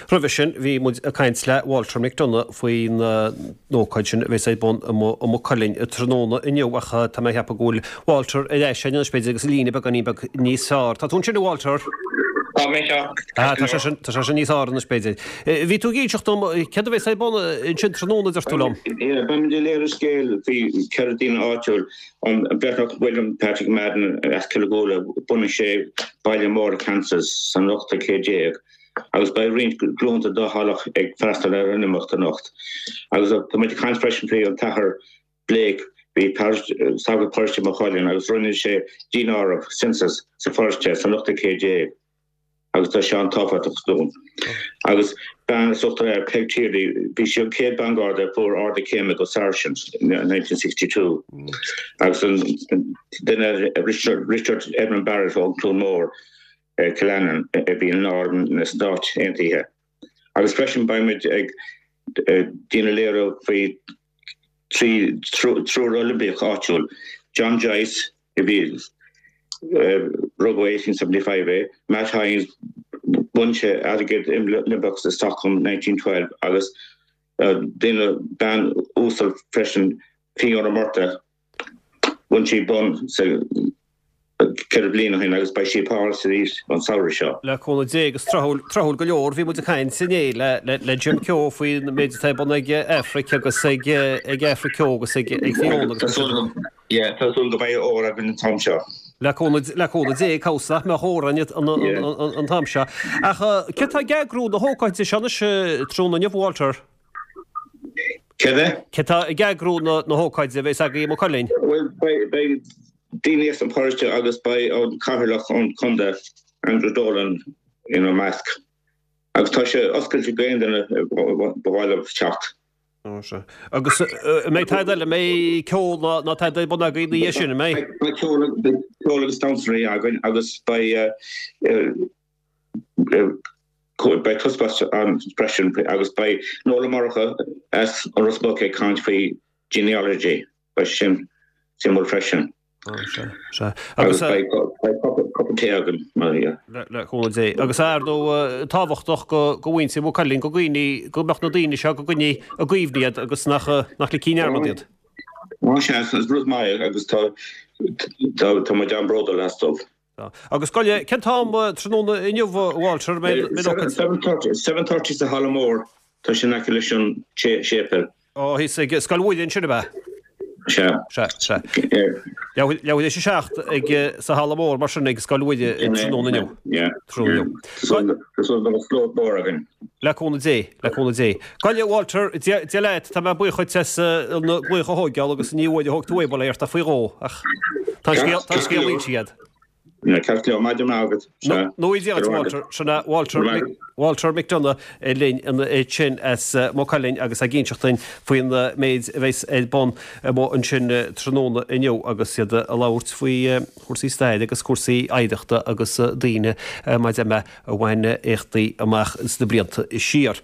Roimhe sin bhí muid ag caint le Walter McDonagh faoin ócáid sin a bheas ar bun i Maigh Cuilinn tráthnóna inniu ach tá mé ag ceapadh go bhfuil Walter ar ais anois b'fhéidir agus an líne beagáinín beag níos fearr. Tá tú ansin a Walter? Tá mé anseo. Ah, tá sé sin, tá sé sin níos fearr anois b'fhéidir. Bhí tú ag inseacht dom céard a bheas ar bun ansin tráthnóna a deir tú liom? Yeah, beimid ag léiriú scéal faoi 4 daoine áitiúil, an Breatnach William Patrick Madden as Cill Ghuaire, bhunaigh sé baile mór i Kansas san ochtú céad déag agus beidh roinnt glúnta dá theaghlach ag freastal ar an imeacht anocht. Agus tá muid ag caint freisin faoi an tAthair Blake, bhí sagart paróiste Maigh Cuilinn agus rinne sé daonáireamh, census, sa pharóiste san ochtú céad déag agus tá sé an-tábhachtach dúinn. Agus bean as Uachtar Ard, Peig Tierney, bhí sí an chéad bean Garda a fuair ardú céime go Sergeant in 1962. Agus an duine Richard, Richard Edmund Barrett ón Cluain Mór, Cill Annan, a bhí in Arm na Stát Aontaithe. Agus freisin beimid ag déanamh léiriú faoi triúr Oilimpeach áitiúil, John Joyce, a bhí, rugadh 1875 é, Matt Hynes, bhain sé airgead Oilimpeach i Stockholm 1912, agus duine, bean uasal freisin, Fiona Murtagh, Bhain sí bonn sa 4 bliana ó shin agus beidh sí i Páras arís an samhradh seo. Le cúnamh Dé agus tráthúil, tráthúil go leor, bhí muid ag caint inné le, le, le Jim Keogh faoin méid atá ar bun ag Aifric agus ag, ag Aifric Keogh agus ag, ag Fiona agus Tá súil agam, yeah, tá súil go mbeidh ór againn an t-am seo. Le cúnamh, le cúnamh Dé, cá bhfios nach mbeadh ór againn an, an, an, an t-am seo. Ach cé tá ag eagrú na hócáide seo anois tráthnóna inniu, Walter? Céard é? Cé tá ag eagrú na hócáide a bheas agaibh i Maigh Cuilinn? Bhuel, beidh daoine as an pharóiste agus beidh an cathaoirleach ón chontae, Andrew Dolan, ina measc. Agus tá sé oscailte d'aon duine ba mhaith leo teacht. Ó, sea. Agus an mbeidh tada eile, an mbeidh ceol ná tada ar bun agaibh ina dhiaidh sin, an mbeidh? Beidh ceol agus damhsóirí againn agus beidh Beidh taispeántas ann freisin agus beidh Noel Ó Murchú as an Ros Muc ag caint faoi genealogy, beidh sin suimiúil freisin. Sea. Agus beidh cupa tae againn mar dhea. Le cúnamh Dé. Agus ar ndóigh tábhachtach go mhuintir Mhaigh Cuilinn, go gcuimhní, go mbeadh na daoine seo go gcoinní i gcuimhne iad agus nach nach ligfí i ndearmad iad. Á sea, is rud maith agus tá tá muid an-bhródúil astu. Agus gabh i leith, cén t-am tráthnóna inniu, a Walter? 7:30 sa halla mór, tá sé in aice leis an séipéal. Ó, thíos ag Scoil Mhuire ansin, ab ea? Sea. Sea, sea. Leathuair théis a 7 ag sa halla mór mar sin ag Scoil Mhuire tráthnóna inniu. Yeah. Tráthnóna inniu. Tá súil go mbeidh slua mór againn. Le cúnamh Dé, le cúnamh Dé. Gabh i leith, Walter, Dia leat, tá mé buíoch dhuit as an glaoch a thóigeáil agus ní uair a thóg tú é, bail ó Dhia ort ach faoi dhó, ach tá an scéal inste agat. Ceart go leor, maidin mhaith agat. Sea. Nó Dia duit, Walter. Sin é Walter, Walter McDonagh linn ansin as Maigh Cuilinn agus ag inseacht duinn faoin méid a bheas ar bun amuigh ansin tráthnóna inniu agus iad ag labhairt faoi chúrsaí staire agus cúrsaí oidhreachta agus daoine mar a deir mé a bhain éachtaí amach sna blianta siar.